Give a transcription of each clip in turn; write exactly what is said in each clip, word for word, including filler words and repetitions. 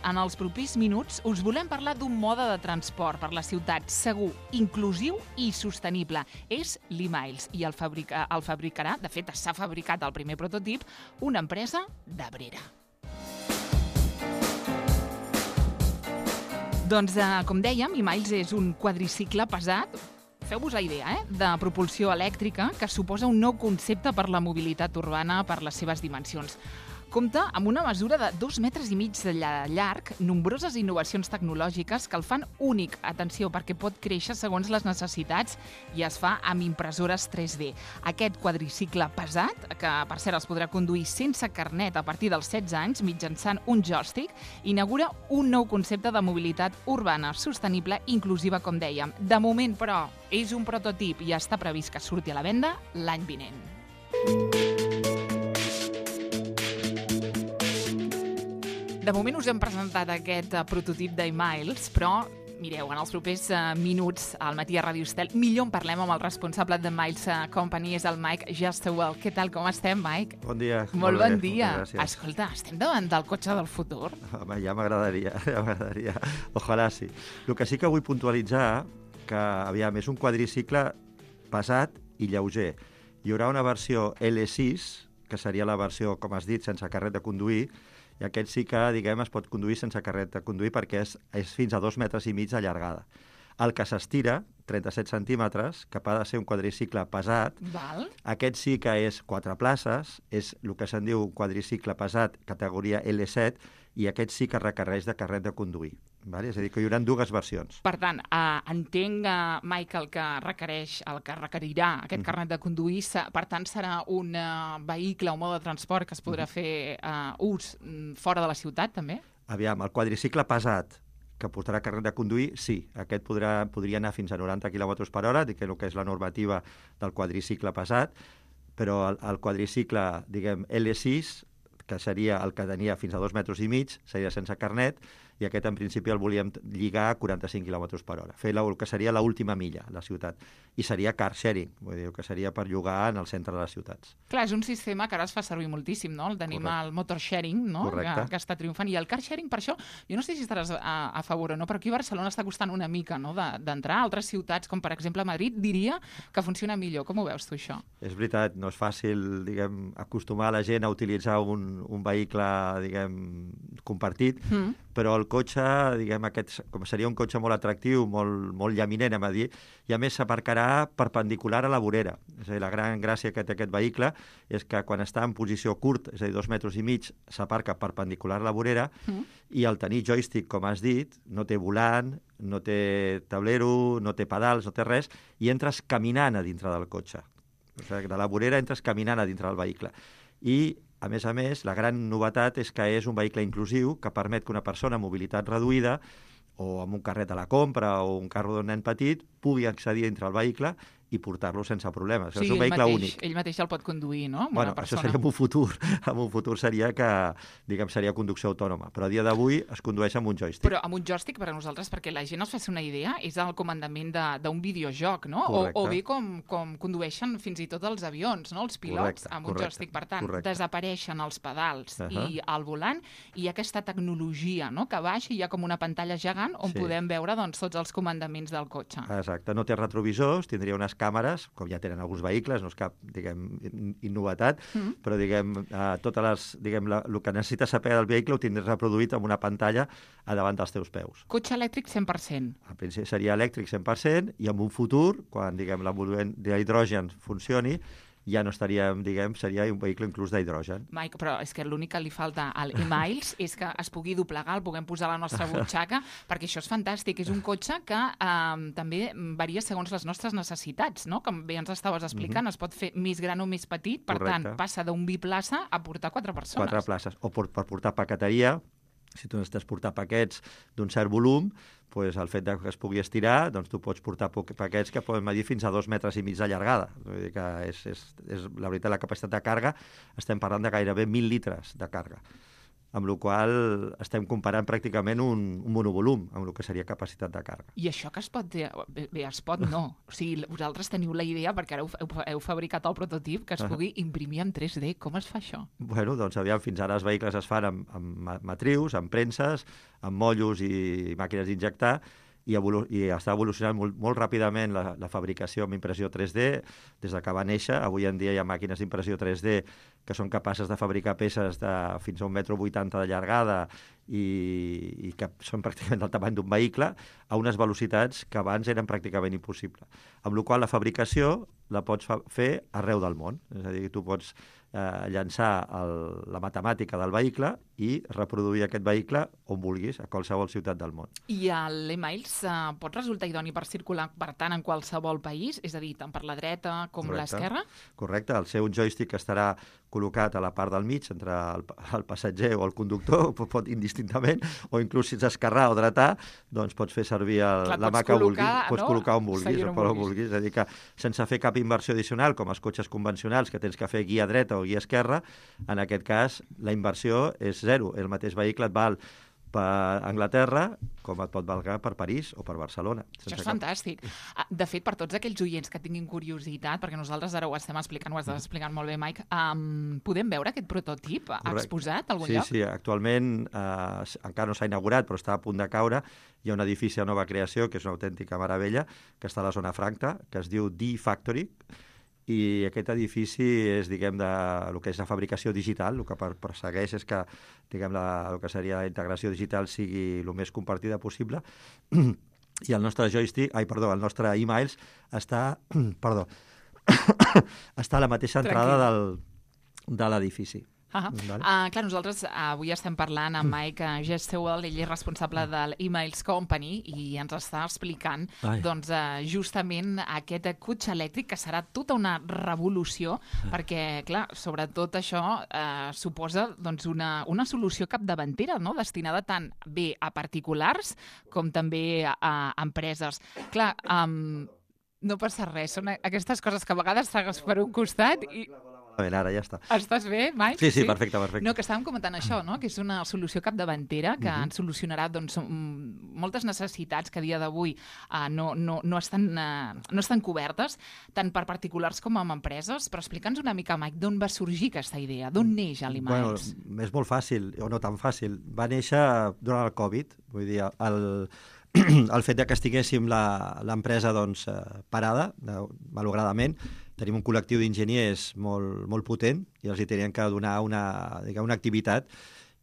en els propers minuts us volem parlar d'un mode de transport per la ciutat segur, inclusiu i sostenible. És l'e-Miles i el, fabrica, el fabricarà, de fet s'ha fabricat el primer prototip, una empresa d'Abrera. Doncs, eh, com dèiem, e-Miles és un quadricicle pesat, feu-vos la idea, eh? de propulsió elèctrica, que suposa un nou concepte per la mobilitat urbana per les seves dimensions. Compta amb una mesura de dos metres i mig de llarg, nombroses innovacions tecnològiques que el fan únic, atenció, perquè pot créixer segons les necessitats i es fa amb impressores tres D. Aquest quadricicle pesat, que per cert es podrà conduir sense carnet a partir dels setze anys mitjançant un joystick, inaugura un nou concepte de mobilitat urbana, sostenible, inclusiva, com dèiem. De moment, però, és un prototip i està previst que surti a la venda l'any vinent. De moment us hem presentat aquest uh, prototip d'e-Miles, però mireu, en els propers uh, minuts al matí a Ràdio Estel, millor en parlem amb el responsable de Miles uh, Company, és el Mike Justewell. Què tal, com estem, Mike? Bon dia. Molt, molt bon bé, dia. Escolta, estem davant del cotxe del futur? Home, ja m'agradaria, ja m'agradaria. Ojalà sí. El que sí que vull puntualitzar, que, aviam, és un quadricicle pesat i lleuger. Hi haurà una versió L sis, que seria la versió, com has dit, sense carret de conduir, i aquest sí que, diguem, es pot conduir sense carret de conduir perquè és, és fins a dos metres i mig de llargada. El que s'estira, trenta-set centímetres, que ha de ser un quadricicle pesat, Val. Aquest sí que és quatre places, és el que se'n diu un quadricicle pesat, categoria L set, i aquest sí que requereix de carret de conduir. Vale? És a dir, que hi haurà dues versions. Per tant, eh, entenc, eh, Mike, el que requereix, el que requerirà aquest mm. carnet de conduir, per tant, serà un uh, vehicle o mode de transport que es podrà mm. fer uh, ús fora de la ciutat, també? Aviam, el quadricicle pesat, que portarà carnet de conduir, sí. Aquest podrà, podria anar fins a noranta quilòmetres per hora, que és el que és la normativa del quadricicle pesat, però el, el quadricicle, diguem, L sis, que seria el que tenia fins a dos metres i mig, seria sense carnet, i aquest en principi el volíem lligar a quaranta-cinc quilòmetres per hora, fer el que seria l'última milla a la ciutat. I seria car sharing, vull dir, que seria per llogar en el centre de les ciutats. Clar, és un sistema que ara es fa servir moltíssim, no? El tenim al motor sharing, no? Que, que està triomfant. I el car sharing, per això, jo no sé si estaràs a, a favor o no, però aquí a Barcelona està costant una mica, no?, d'entrar. Altres ciutats, com per exemple Madrid, diria que funciona millor. Com ho veus tu, això? És veritat, no és fàcil, diguem, acostumar la gent a utilitzar un, un vehicle, diguem, compartit, mm. però el cotxe, diguem, aquest, com seria un cotxe molt atractiu, molt, molt llaminent, hem a dir, i a més s'aparcarà perpendicular a la vorera. És a dir, la gran gràcia que té aquest vehicle és que quan està en posició curt, és a dir, dos metres i mig, s'aparca perpendicular a la vorera, mm. i al tenir joystick, com has dit, no té volant, no té tablero, no té pedals, no té res, i entres caminant a dintre del cotxe. O sigui, de la vorera entres caminant a dintre del vehicle. I a més a més, la gran novetat és que és un vehicle inclusiu que permet que una persona amb mobilitat reduïda o amb un carret a la compra o un carro d'un nen petit pugui accedir dintre el vehicle i portar-lo sense problemes. Sí, és un vehicle mateix, únic. Ell mateix el pot conduir, no? Amb bueno, una persona. Això seria en un futur. En un futur seria que, diguem, seria conducció autònoma. Però a dia d'avui es condueix amb un joystick. Però amb un joystick, per a nosaltres, perquè la gent es faci una idea, és el comandament d'un videojoc, no? O, o bé com, com condueixen fins i tot els avions, no? Els pilots, correcte, amb un correcte, joystick. Per tant, correcte. Desapareixen els pedals uh -huh. i el volant, i aquesta tecnologia, no?, que baixa i hi ha com una pantalla gegant on sí. podem veure, doncs, tots els comandaments del cotxe. Exacte. No té retrovisors, tindria unes càmeres, com ja tenen alguns vehicles, no és cap, diguem, innovatat, mm. però, diguem, eh, totes les, diguem, la, el que necessites saber del vehicle ho tindràs reproduït amb una pantalla a davant dels teus peus. Cotxe elèctric cent per cent. Al principi seria elèctric cent per cent i en un futur, quan, diguem, l'emboliment d'hidrogen funcioni, ja no estaríem, diguem, seria un vehicle inclús d'hidrogen. Mike, però és que l'únic que li falta al e-Miles és que es pugui doblegar, el puguem posar a la nostra butxaca, perquè això és fantàstic. És un cotxe que eh, també varia segons les nostres necessitats, no? Com bé ens estaves explicant, uh-huh. es pot fer més gran o més petit, per Correcte. Tant, passa d'un biplaça a portar quatre persones. Quatre places, o per, per portar paqueteria. Si tu necessites portar paquets d'un cert volum, doncs el fet que es pugui estirar, doncs tu pots portar paquets que poden medir fins a dos metres i mig de llargada. Vull dir que és, és, és, la veritat, la capacitat de càrrega, estem parlant de gairebé mil litres de càrrega. amb la qual estem comparant pràcticament un, un monovolum amb el que seria capacitat de càrrega. I això que es pot... Bé, bé es pot no. O sigui, vosaltres teniu la idea, perquè ara heu, heu, heu fabricat el prototip, que es pugui imprimir en tres D. Com es fa això? Bueno, doncs aviam, fins ara els vehicles es fan amb, amb matrius, amb premses, amb mollos i màquines d'injectar, i, evolu i està evolucionant molt, molt ràpidament la, la fabricació amb impressió tres D, des de que va néixer. Avui en dia hi ha màquines d'impressió tres D que són capaces de fabricar peces de fins a un metro vuitanta de llargada i, i que són pràcticament del tamany d'un vehicle, a unes velocitats que abans eren pràcticament impossibles. Amb la qual la fabricació la pots fer arreu del món. És a dir, tu pots eh, llançar el, la matemàtica del vehicle i reproduir aquest vehicle on vulguis, a qualsevol ciutat del món. I l'e-mails eh, pot resultar idoni per circular, per tant, en qualsevol país? És a dir, tant per la dreta com l'esquerra? Correcte. El seu joystick estarà col·locat a la part del mig, entre el, el passatger o el conductor, pot indistintament, o inclús si ets esquerrà o dretà, doncs pots fer servir el, Clar, la mà que vulguis. Pots no? col·locar on vulguis o on vulguis. És a dir, que sense fer cap inversió addicional, com els cotxes convencionals, que tens que fer guia dreta o guia esquerra, en aquest cas la inversió és zero. El mateix vehicle et val per Anglaterra com et pot valgar per París o per Barcelona. Això és cap... fantàstic. De fet, per tots aquells oients que tinguin curiositat, perquè nosaltres ara ho estem explicant, ho estàs explicant molt bé, Mike, um, podem veure aquest prototip Correcte. exposat a algun sí, lloc? Sí, sí. Actualment eh, encara no s'ha inaugurat, però està a punt de caure. Hi ha un edifici de nova creació, que és una autèntica meravella, que està a la zona franca, que es diu D-Factory, i aquest edifici és, diguem, de el que és la fabricació digital. El que persegueix és que, diguem, la, el que seria la integració digital sigui el més compartida possible. I el nostre joystick, ai, perdó, el nostre e-mails està, perdó, està a la mateixa entrada del, de l'edifici. Uh -huh. vale. uh, clar, nosaltres uh, avui estem parlant amb Mike uh, Gestewell, ell és responsable de l'E-Mails Company i ens està explicant doncs, uh, justament aquest cotxe elèctric que serà tota una revolució uh. perquè, clar, sobretot això uh, suposa doncs, una, una solució capdavantera, no? Destinada tant bé a particulars com també a, a empreses. Clar, um, no passa res, són aquestes coses que a vegades s'agafes per un costat i... Ara ja està. Estàs bé, Mike? Sí, sí, perfecte, perfecte. No, que estàvem comentant això, no? Que és una solució capdavantera que uh-huh. ens solucionarà doncs, moltes necessitats que a dia d'avui uh, no, no, no, estan, uh, no estan cobertes, tant per particulars com amb empreses. Però explica'ns una mica, Mike, d'on va sorgir aquesta idea? D'on neix l'E-Mails? Bueno, és molt fàcil, o no tan fàcil. Va néixer durant el Covid, vull dir, el... el fet de que estiguéssim l'empresa doncs, parada, malauradament, tenim un col·lectiu d'enginyers molt, molt potent i els hi tenien que donar una, diguem, una activitat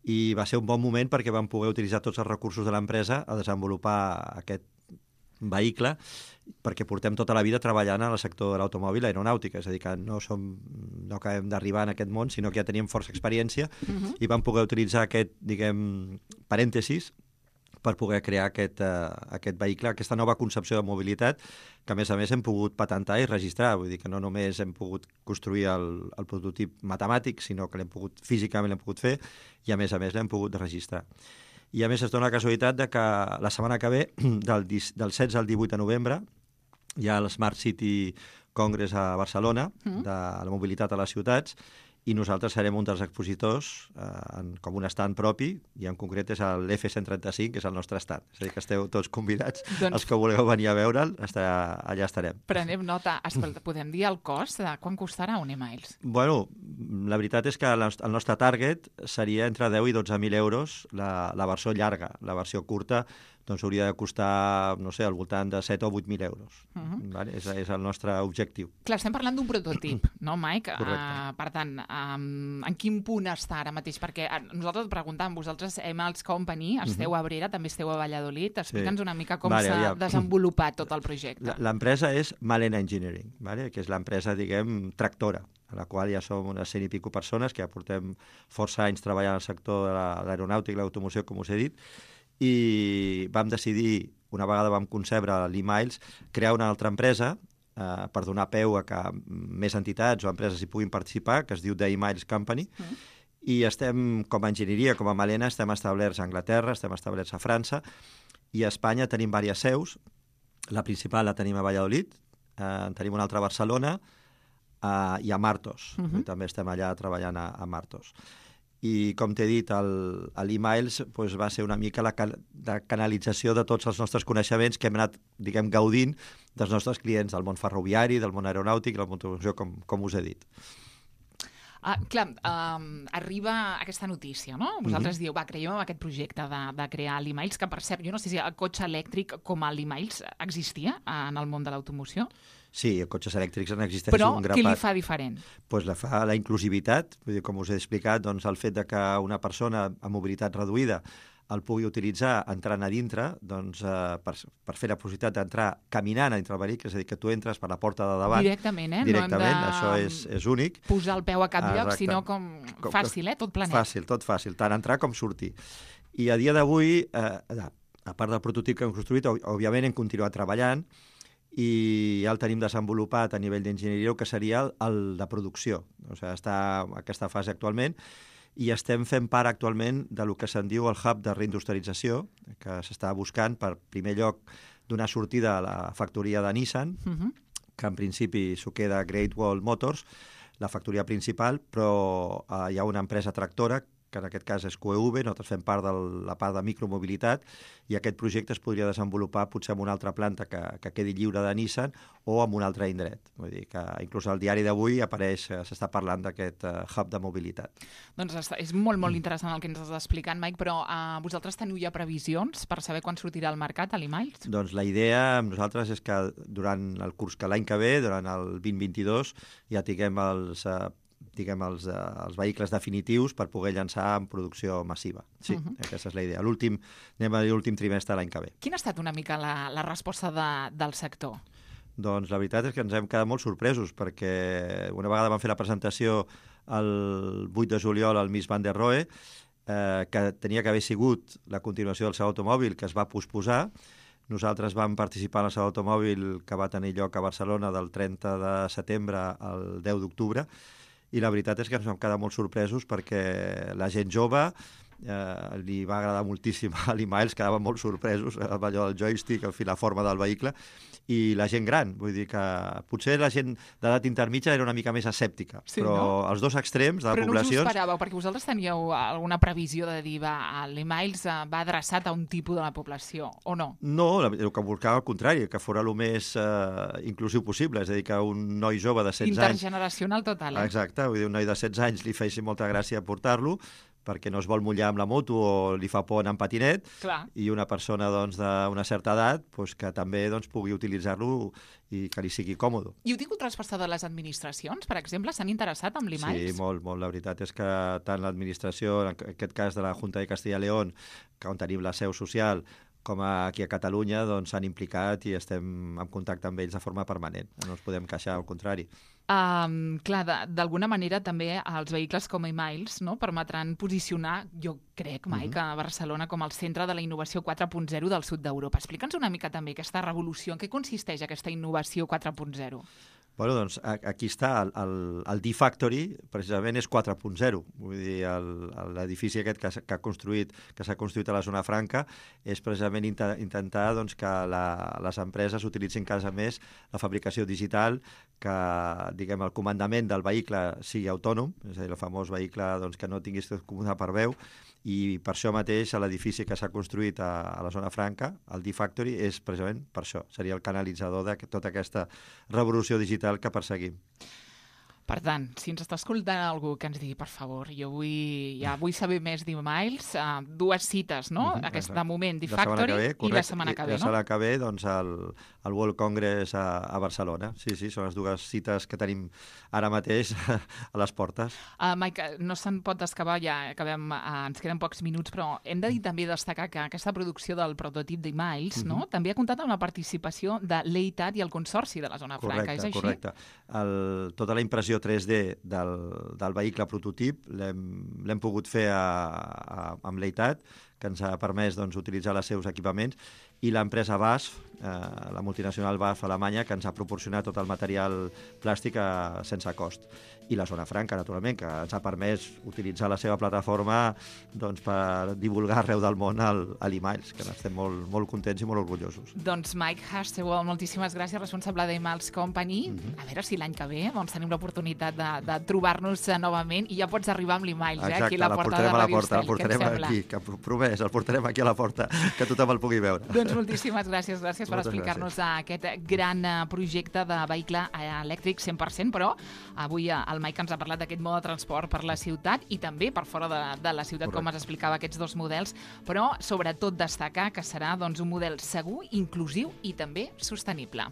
i va ser un bon moment perquè vam poder utilitzar tots els recursos de l'empresa a desenvolupar aquest vehicle perquè portem tota la vida treballant en el sector de l'automòbil aeronàutica, és a dir, que no, som, no acabem d'arribar en aquest món, sinó que ja teníem força experiència uh-huh. i vam poder utilitzar aquest, diguem, parèntesis per poder crear aquest, uh, aquest vehicle, aquesta nova concepció de mobilitat, que a més a més hem pogut patentar i registrar. Vull dir que no només hem pogut construir el, el prototip matemàtic, sinó que l'hem pogut, físicament l'hem pogut fer, i a més a més l'hem pogut registrar. I a més es dona la casualitat de que la setmana que ve, del, del setze al divuit de novembre, hi ha el Smart City Congress a Barcelona, mm. de la mobilitat a les ciutats, i nosaltres serem un dels expositors eh, en, com un stand propi, i en concret és l'F cent trenta-cinc, que és el nostre stand. És a dir, que esteu tots convidats, doncs, els que vulgueu venir a veure'l, allà estarem. Prenem nota. Escolta, podem dir el cost de quan costarà un e-mails? Bueno, la veritat és que el nostre target seria entre deu i dotze mil euros la, la versió llarga. La versió curta doncs hauria de costar, no sé, al voltant de set o vuit mil euros. Uh-huh. Vale? És, és el nostre objectiu. Clar, estem parlant d'un prototip, no, Mike? Uh, per tant, um, en quin punt està ara mateix? Perquè uh, nosaltres et preguntàvem, vosaltres, E-Mails Company, esteu uh-huh. a Abrera, també esteu a Valladolid. Explica'ns sí. una mica com vale, s'ha ja. desenvolupat tot el projecte. L'empresa és Malena Engineering, vale? Que és l'empresa, diguem, tractora, a la qual ja som unes cent i pico persones, que ja portem força anys treballant al sector de l'aeronàutica i l'automoció, com us he dit, i vam decidir, una vegada vam concebre l'e-mails, crear una altra empresa eh, per donar peu a que més entitats o empreses hi puguin participar, que es diu The E-Mails Company, mm. i estem, com a enginyeria, com a Malena, estem establerts a Anglaterra, estem establerts a França, i a Espanya tenim diverses seus. La principal la tenim a Valladolid, eh, tenim una altra a Barcelona, eh, i a Martos. Mm-hmm. També estem allà treballant a, a Martos. i, com t'he dit, l'e-mails doncs, va ser una mica la, la canalització de tots els nostres coneixements que hem anat, diguem, gaudint dels nostres clients, del món ferroviari, del món aeronàutic, del món d'automoció, com, com us he dit. Ah, clar, um, arriba aquesta notícia, no? Vosaltres mm-hmm. dieu, va, creiem en aquest projecte de, de crear l'e-mails, que per cert, jo no sé si el cotxe elèctric com a l'e-mails existia en el món de l'automoció. Sí, cotxes elèctrics en existeix Però un grapat. Però què li fa diferent? Pues la fa la inclusivitat, vull dir, com us he explicat, doncs el fet de que una persona amb mobilitat reduïda el pugui utilitzar entrant a dintre, doncs, eh, per, per fer la possibilitat d'entrar caminant a dintre el vehicle, és a dir, que tu entres per la porta de davant. Directament, eh? Directament, no hem de... això és, és únic. Posar el peu a cap lloc, Exacte. sinó com fàcil, eh? Tot planet. Fàcil, tot fàcil, tant entrar com sortir. I a dia d'avui, eh, a part del prototip que hem construït, òbviament hem continuat treballant, i ja el tenim desenvolupat a nivell d'enginyeria, que seria el, el de producció. O sigui, està en aquesta fase actualment, i estem fent part actualment de lo que se'n diu el hub de reindustrialització, que s'està buscant per primer lloc donar sortida a la factoria de Nissan, uh-huh. que en principi s'ho queda Great Wall Motors, la factoria principal, però eh, hi ha una empresa tractora que en aquest cas és Q E V, nosaltres fem part de la part de micromobilitat, i aquest projecte es podria desenvolupar potser en una altra planta que, que quedi lliure de Nissan o en un altre indret. Vull dir que inclús al diari d'avui apareix, s'està parlant d'aquest uh, hub de mobilitat. Doncs és molt, molt interessant el que ens estàs explicant, Mike, però uh, vosaltres teniu ja previsions per saber quan sortirà al mercat a l'e-mails? Doncs la idea amb nosaltres és que durant el curs que l'any que ve, durant el vint vint-i-dos, ja tinguem els... Uh, diguem, els, els vehicles definitius per poder llançar en producció massiva. Sí, uh-huh. aquesta és la idea. L'últim, anem a dir l'últim trimestre de l'any que ve. Quina ha estat una mica la, la resposta de, del sector? Doncs la veritat és que ens hem quedat molt sorpresos, perquè una vegada vam fer la presentació el vuit de juliol al Miss Van der Rohe, eh, que tenia que haver sigut la continuació del Saló Automòbil, que es va posposar. Nosaltres vam participar en el Saló Automòbil que va tenir lloc a Barcelona del trenta de setembre al deu d'octubre, i la veritat és que ens vam quedar molt sorpresos perquè la gent jove eh, li va agradar moltíssim a l'e-mails, quedaven molt sorpresos amb allò del joystick, el fil, la forma del vehicle, i la gent gran, vull dir que potser la gent d'edat intermitja era una mica més escèptica, sí, però no? Els dos extrems de però poblacions... Però no us ho esperàveu, perquè vosaltres teníeu alguna previsió de dir va, l'e-mails va adreçat a un tipus de la població, o no? No, el que buscava al contrari, que fos el més eh, inclusiu possible, és a dir, que un noi jove de setze anys... Intergeneracional total, eh? Exacte, vull dir, un noi de setze anys li feia molta gràcia portar-lo, perquè no es vol mullar amb la moto o li fa por anar en patinet. Clar. I una persona doncs, d'una certa edat doncs, que també doncs, pugui utilitzar-lo i que li sigui còmode. I heu tingut resposta de les administracions, per exemple? S'han interessat en l'e-mails? Sí, molt, molt. La veritat és que tant l'administració, en aquest cas de la Junta de Castilla y León, que on tenim la seu social, com aquí a Catalunya, doncs s'han implicat i estem en contacte amb ells de forma permanent. No ens podem queixar, al contrari. Um, clar, d'alguna manera també els vehicles com e-mails, no, permetran posicionar, jo crec, Mike, uh-huh. a Barcelona com el centre de la innovació quatre punt zero del sud d'Europa. Explica'ns una mica també aquesta revolució. En què consisteix aquesta innovació quatre punt zero? Bueno, doncs aquí està, el, el, el D-Factory precisament és quatre punt zero, vull dir, l'edifici aquest que, que ha construït, que s'ha construït a la zona franca és precisament int intentar doncs, que la, les empreses utilitzin cada més la fabricació digital, que diguem, el comandament del vehicle sigui autònom, és a dir, el famós vehicle doncs, que no tinguis tot comandar per veu, i per això mateix l'edifici que s'ha construït a, a la zona franca, el D-Factory, és precisament per això, seria el canalitzador de tota aquesta revolució digital que perseguim. Per tant, si ens està escoltant algú que ens digui, per favor, jo vull, ja vull saber més d'e-mails, uh, dues cites, no? Uh-huh, Aquest, de moment, D-Factory i la setmana que ve, no? La setmana que ve, doncs, el, el World Congress a, a Barcelona. Sí, sí, són les dues cites que tenim ara mateix a les portes. Uh, Mike, no se'n pot escavar, ja acabem, uh, ens queden pocs minuts, però hem de dir també destacar que aquesta producció del prototip d'e-mails, uh-huh. no? També ha comptat amb la participació de l'E I T A T i el Consorci de la Zona correcte, Franca, és així? Correcte, correcte. Tota la impressió tres D del, del vehicle prototip l'hem pogut fer a, a, amb l'E I T A T, que ens ha permès doncs, utilitzar els seus equipaments, i l'empresa B A S F, eh, la multinacional B A S F alemanya, que ens ha proporcionat tot el material plàstic eh, sense cost. I la Zona Franca, naturalment, que ens ha permès utilitzar la seva plataforma doncs, per divulgar arreu del món l'E-Miles, que n'estem molt, molt contents i molt orgullosos. Doncs Mike Hastewell, moltíssimes gràcies, responsable d'E-Miles Company. Mm-hmm. A veure si l'any que ve doncs, tenim l'oportunitat de, de trobar-nos novament i ja pots arribar amb l'E-Miles, eh, aquí a la porta de Radio Estel. El portarem aquí, que promès, el portarem aquí a la porta, que tothom el pugui veure. Doncs moltíssimes gràcies, gràcies per explicar-nos aquest gran projecte de vehicle elèctric cent per cent, però avui el Mike ens ha parlat d'aquest mode de transport per la ciutat i també per fora de, de la ciutat, correcte, com ens explicava aquests dos models, però sobretot destacar que serà doncs, un model segur, inclusiu i també sostenible.